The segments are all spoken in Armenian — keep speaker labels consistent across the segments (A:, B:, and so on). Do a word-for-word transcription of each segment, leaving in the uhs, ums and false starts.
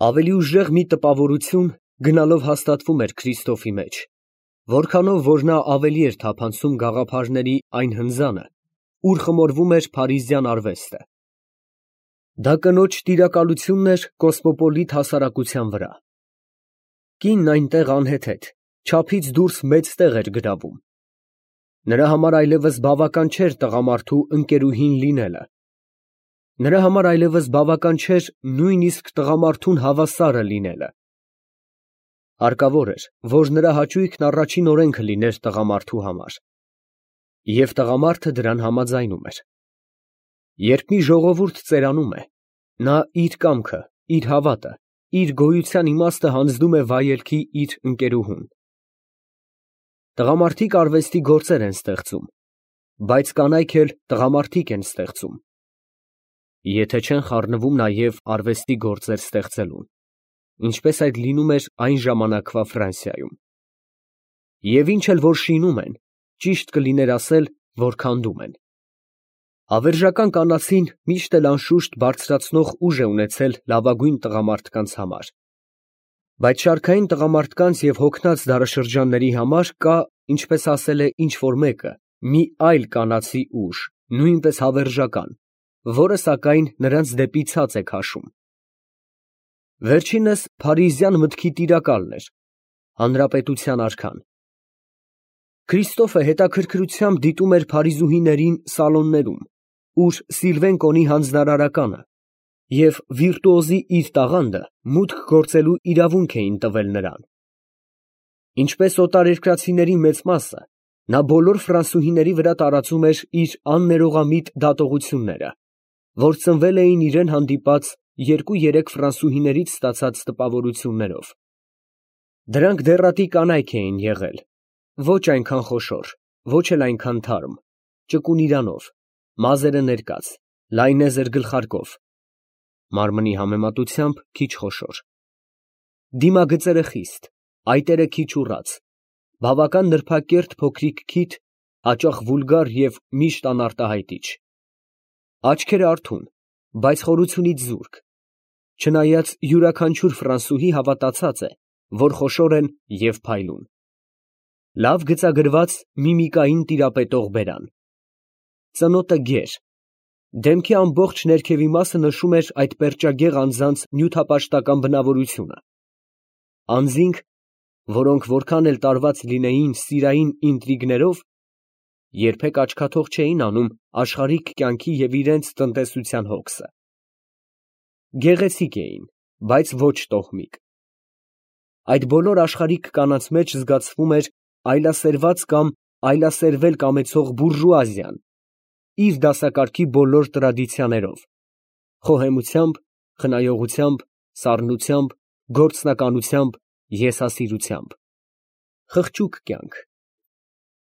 A: Ավելի ուժեղ մի տպավորություն գնալով հաստատվում էր Քրիստոֆի մեջ, որքանով որ նա ավելի էր թափանցում գաղափարների այն հնձանը, ուր խմորվում էր փարիզյան արվեստը։ Դա կնոջ տիրակալությունն էր կոսմոպոլիտ հասարակության վրա։ Կինն այնտեղ անհեթեթ, չափից դուրս մեծ տեղ էր գրավում։ Նրա համար այլևս բավական չէր տղամարդու ընկերուհին լինելը։ Նրա համար այլևս բավական չէր նույնիսկ տղամարդուն հավասարը լինելը։ Հարկավոր էր, որ նրա հաճույքն առաջին օրենքը լիներ տղամարդու համար։ Եվ տղամարդը դրան համաձայնում էր։ Երբ մի ժողովուրդ ծերանում է, նա իր կամքը, իր հավատը, իր գոյության իմաստը հանձնում է վայելքի իր ընկերուհուն։ Տղամարդիկ արվեստի գործեր են ստեղծում, բայց կանայք էլ տղամարդիկ են ստեղծում, եթե չեն խառնվում նաև արվեստի գործեր ստեղծելուն, ինչպես այդ լինում էր այն ժամանակվա Ֆրանսիայում։ Եվ ինչ էլ որ շինում են, ճիշտ կլիներ ասել, որ քանդում են։ Հավերժական կանացին միշտ էլ անշուշտ բարձրացնող ուժ է ունեցել լավագույն տղամարդկանց համար։ Բայց շարքային տղամարդկանց և հոգնած դարաշրջանների համար կա, ինչպես ասել է ինչ֊որ մեկը, մի այլ կանացի ուժ, նույնպես հավերժական, որը սակայն նրանց դեպի ցած է քաշում։ Վերջինս փարիզյան մտքի տիրակալն էր, հանրապետության արքան։ Քրիստոֆը հետաքրքրությամբ դիտում էր փարիզուհիներին սալոններում, ուր Սիլվեն կոնի հանձնարարականը և վիրտուոզի իր տաղանդը մուտք գործելու իրավունք էին տվել նրան։ Ինչպես օտարերկրացիների մեծ մասը, նա բոլոր ֆրանսուհիների վրա տարածում էր իր աններողամիտ դատողությունները, որ ծնվել էին իրան հանդիպած երկու֊երեք ֆրանսուհիներից ստացած տպավորություններով։ Դրանք դեռատի կանայք էին եղել, ոչ այնքան խոշոր, ոչ էլ այնքան թարմ, ճկուն իրանով, մազերը ներկած, լայնեզր գլխարկով, մարմնի համեմատությամբ քիչ խոշոր, դիմագծերը խիստ, այտերը քիչ ուռած, բավական նրբակերտ փոքրիկ քիթ, հաճախ վուլգար և միշտ անարտահայտիչ, աչքերը արթուն, բայց խորությունից զուրկ, չնայած յուրաքանչյուր ֆրանսուհի հավատացած է, որ խոշոր են և փայլուն, լավ գծագրված միմիկային տիրապետող բերան, ծնոտը գեր, դեմքի ամբողջ ներքևի մասը նշում էր այդ պերճագեղ անձանց նյութապաշտական բնավորությունը, անձինք, որոնք որքան էլ տարված լինեին սիրային ինտրիգներով, երբեք աչքաթող չէին անում աշխարհիկ կյանքի և իրենց տնտեսության հոգսը։ Գեղեցիկ էին, բայց ոչ տոհմիկ։ Այդ բոլոր աշխարհիկ կանանց մեջ զգացվում էր այլասերված կամ այլասերվել կամեցող բուրժուազիան, իր դասակարգի բոլոր տրադիցիաներով, խոհեմությամբ, խնայողությամբ, սառնությամբ, գործնականությամբ, եսասիրությամբ, խղճուկ կյանք,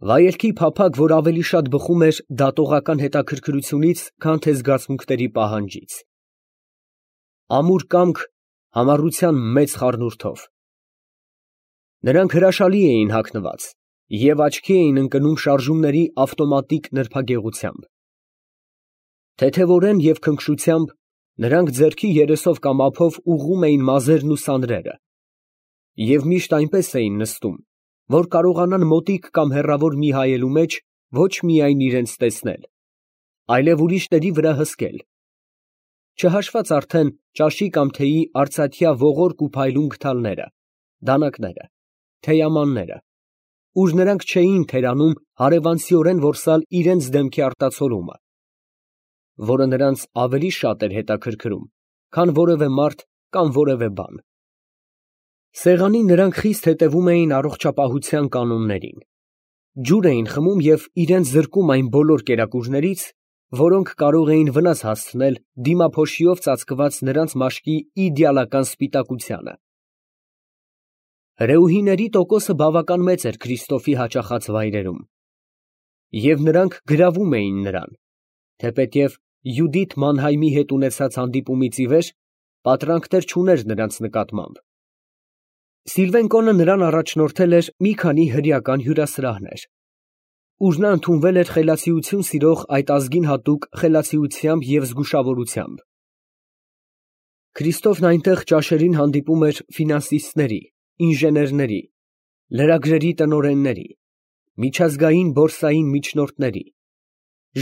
A: վայելքի փափագ, որ ավելի շատ բխում էր դատողական հետաքրքրությունից, քան թե զգացմունքների պահանջից, ամուր կամք համառության մեծ խառնուրդով։ Նրանք հրաշալի էին հագնված և աչքի էին ընկնում շարժումների ավտոմատիկ նրբագեղությամբ։ Թեթևորեն և քնքշությամբ նրանք ձեռքի երեսով կամ ափով ուղղում էին մազերն ու սանրերը և միշտ այնպես էին նստում, որ կարողանան մոտիկ կամ հեռավոր մի հայելու մեջ ոչ միայն իրենց տեսնել, այլև ուրիշների վրա հսկել, չհաշված արդեն ճաշի կամ թեյի արծաթյա ողորկ ու փայլուն գդալները, դանակները, թեյամանները, ուր նրանք չէին թերանում հարևանցիորեն որսալ իրենց դեմքի արտացոլումը, որը նրանց ավելի շատ էր հետաքրքրում, քան որևէ մարդ կամ որևէ բան։ Սեղանին նրանք խիստ հետևում էին առողջապահության կանոններին, ջուր էին խմում և իրենց զրկում այն բոլոր կերակուրներից, որոնք կարող էին վնաս հասցնել դիմափոշիով ծածկված նրանց մաշկի իդեալական սպիտակությանը։ Հրեուհիների տոկոսը բավական մեծ էր Քրիստոֆի հաճախած վայրերում, և նրանք գրավում էին նրան, թեպետև Յուդիթ Մանհայմի հետ ունեցած հանդիպումից ի վեր պատրանքներ չուներ նրանց նկատմամբ։ Սիլվեն կոնը նրան առաջնորդել էր մի քանի հրեական հյուրասրահներ, ուր նա ընդունվել էր խելացիություն սիրող այդ ազգին հատուկ խելացիությամբ և զգուշավորությամբ։ Քրիստոֆն այնտեղ ճաշերին հանդիպում էր ֆինանսիստների, ինժեներների, լրագրերի տնօրենների, միջազգային բորսային միջնորդների,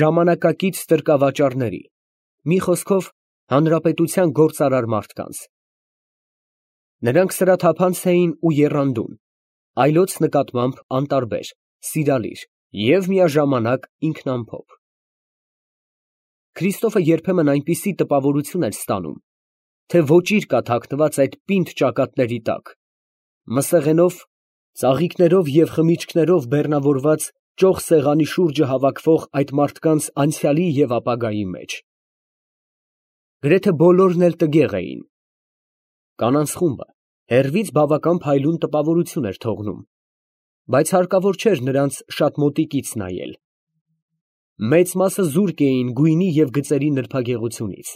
A: ժամանակակից ստրկավաճառների, մի խոսքով հանրապետության գործարար մարդկանց։ Նրանք սրաթափանց էին ու եռանդուն, այլոց նկատմամբ անտարբեր, սիրալիր և միաժամանակ ինքնամփոփ։ Քրիստոֆը երբեմն այնպիսի տպավորություն էր ստանում, թե ոճիր կա թաքնված այդ պինդ ճակատների տակ, մսեղենով, ծաղիկներով և խմիչքներով բեռնավորված ճոխ սեղանի շուրջը հավաքվող այդ մարդկանց անցյալի և ապագայի մեջ։ Գրեթե բոլորն էլ տգեղ էին։ Կանանց խումբը հեռվից բավական փայլուն տպավորություն էր թողնում, բայց հարկավոր չէր նրանց շատ մոտիկից նայել։ Մեծ մասը զուրկ էին գույնի և գծերի նրբագեղությունից,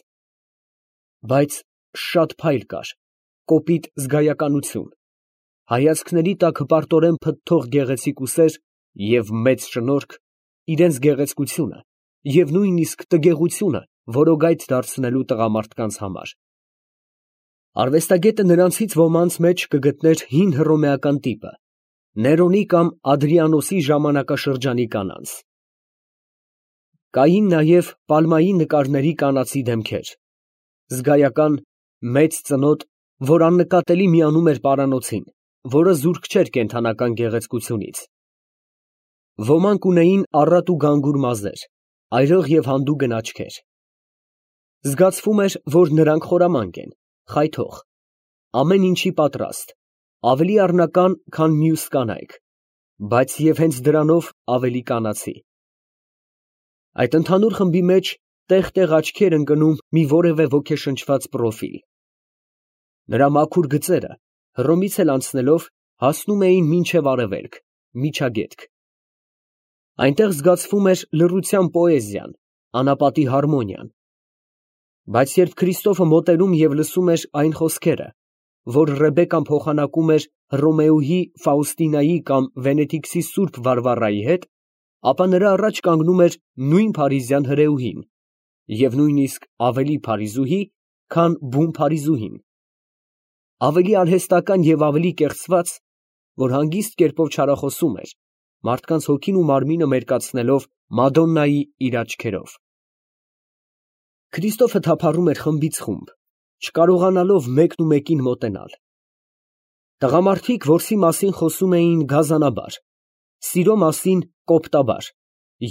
A: բայց շատ փայլ կար, կոպիտ զգայականություն, հայացքների տակ հպարտորեն փթթող գեղեցիկ ուսեր և մեծ շնորհք իրենց գեղեցկությունը և նույնիսկ տգեղությունը որոգայթ դարձնելու տղամարդկանց համար։ Արվեստագետը նրանցից ոմանց մեջ կգտներ հին հռոմեական տիպը, Ներոնի կամ Ադրիանոսի ժամանակաշրջանի կանանց։ Կային նաև Պալմայի նկարների կանացի դեմքեր, զգայական, մեծ ծնոտ, որ աննկատելի միանում էր պարանոցին, որը զուրկ չէր կենդանական գեղեցկությունից։ Ոմանք ունեին առատ ու գանգուր մազեր, այրող և հանդուգն աչքեր։ Զգացվում էր, որ նրանք խորամանկ են, խայթող, ամեն ինչի պատրաստ, ավելի առնական, քան մյուս կանայք, բայց և հենց դրանով ավելի կանացի։ Այդ ընդհանուր խմբի մեջ տեղ֊տեղ աչքի էր ընկնում մի որևէ ոգեշնչված պրոֆիլ։ Նրա մաքուր գծերը, Հռոմից էլ անցնելով, հասնում էին մինչև արևելք, միջագետք։ Այնտեղ զգացվում էր լռության պոեզիան, անապատի հարմոնիան։ Բայց երբ Քրիստոֆը մոտենում և լսում էր այն խոսքերը, որ Ռեբեկան փոխանակում էր Հռոմեուհի Ֆաուստինայի կամ Վենետիքսի սուրբ Վարվառայի հետ, ապա նրա առաջ կանգնում էր նույն փարիզյան հրեուհին և նույնիսկ ավելի փարիզուհի, քան բուն փարիզուհին, ավելի արհեստական և ավելի կեղծված, որ հանգիստ կերպով չարախոսում էր, մարդկանց հոգին ու մարմինը մերկացնելով Մադոննայի իր աչքերով։ Քրիստոֆը թափառում էր խմբից խումբ, չկարողանալով մեկն ու մեկին մոտենալ։ Տղամարդիկ որսի մասին խոսում էին գազանաբար, սիրո մասին կոպտաբար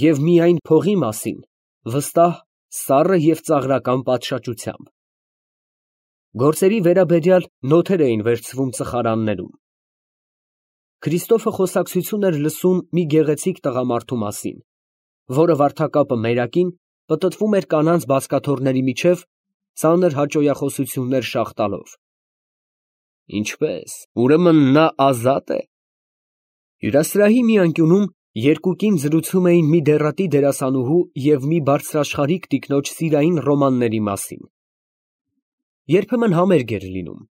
A: և միայն փողի մասին վստահ, սառը և ծաղրական պատշաճությամբ։ Գործերի վերաբերյալ նոթեր էին վերցվում ծխարաններում։ Քրիստոֆը խոսակցություն էր լսում մի գեղեցիկ տղամարդու մասին, որը վարդակապը մերակին պտտվում էր կանանց բազկաթոռների միջև, ծանր հաճոյախոսություններ շաղ տալով։ Ինչպե՞ս, ուրեմն նա ազատ է։ Հյուրասրահի մի անկյունում երկուկին զրուցում էին մի դեռատի դերասանուհու և մի բարձրաշխարհիկ տիկնոջ սիրային ռոմանների մասին։ Երբեմն համերգ էր լինում։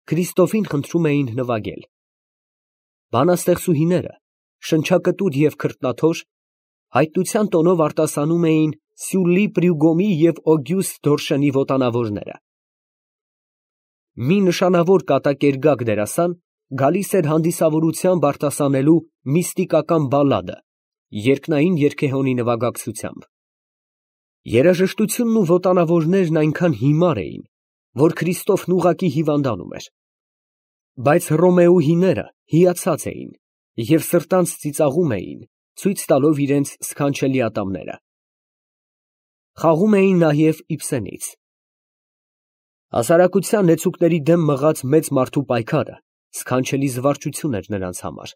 A: Քրիստոֆին խնդրում էին նվագել։ Բանաստեղծուհիները, շնչակտուր և քրտնաթոշ, հայտնության տոնով արտասանում էին Սյուլլի Պրյուգոմի և Օգյուստ Դորշենի ոտանավորները։ Մի նշանավոր կատակերգակ դերասան գալիս էր հանդիսավորությամբ արտասանելու միստիկական բալլադը երկնային երգեհոնի նվագակցությամբ։ Երաժշտությունն ու ոտանավորներն այնքան հիմար էին, որ Քրիստոֆն ուղղակի հիվանդանում էր։ Բայց հռոմեուհիները հիացած էին և սրտանց ծիծաղում էին, ցույց տալով իրենց սքանչելի ատամները։ Խաղում էին նաև Իբսենից։ Հասարակության նեցուկների դեմ մղած մեծ մարդու պայքարը սքանչելի զվարճություն էր նրանց համար։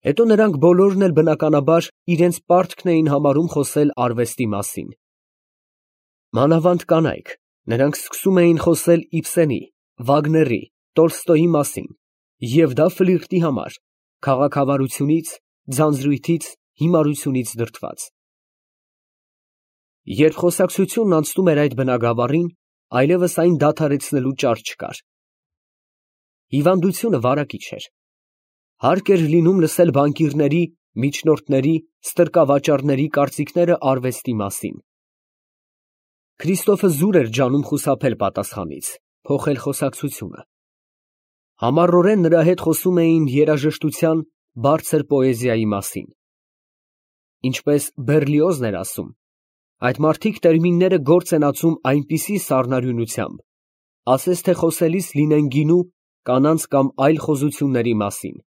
A: Հետո նրանք բոլորն էլ բնականաբար իրենց պարտքն էին համարում խոսել արվեստի մասին։ Մանավանդ կանայք, նրանք սկսում էին խոսել Իբսենի, Վագների, Տոլստոյի մասին, և դա ֆլիրտի համար, քաղաքավարությունից, ձանձրույթից, հիմարությունից դրդված։ Երբ խոսակցությունն անցնում էր այդ բնագավառին, այլևս այն դադարեցնելու ճար չկար։ Հիվանդությունը վարակիչ էր։ Հարկ էր լինում լսել բանկիրների, միջնորդների, ստրկավաճառների կարծիքները արվեստի մասին։ Քրիստոֆը զուր էր ջանում խուսափել պատասխանից, փոխել խոսակցությունը։ Համառորեն նրա հետ խոսում էին երաժշտության բարձր պոեզիայի մասին։ Ինչպես Բեռլիոզն էր ասում, այդ մարդիկ տերմինները գործ են ածում այնպիսի սառնարյունությամբ, ասես թե խոսելիս լինեն գինու, կանանց կամ այլ խոզությունների մասին։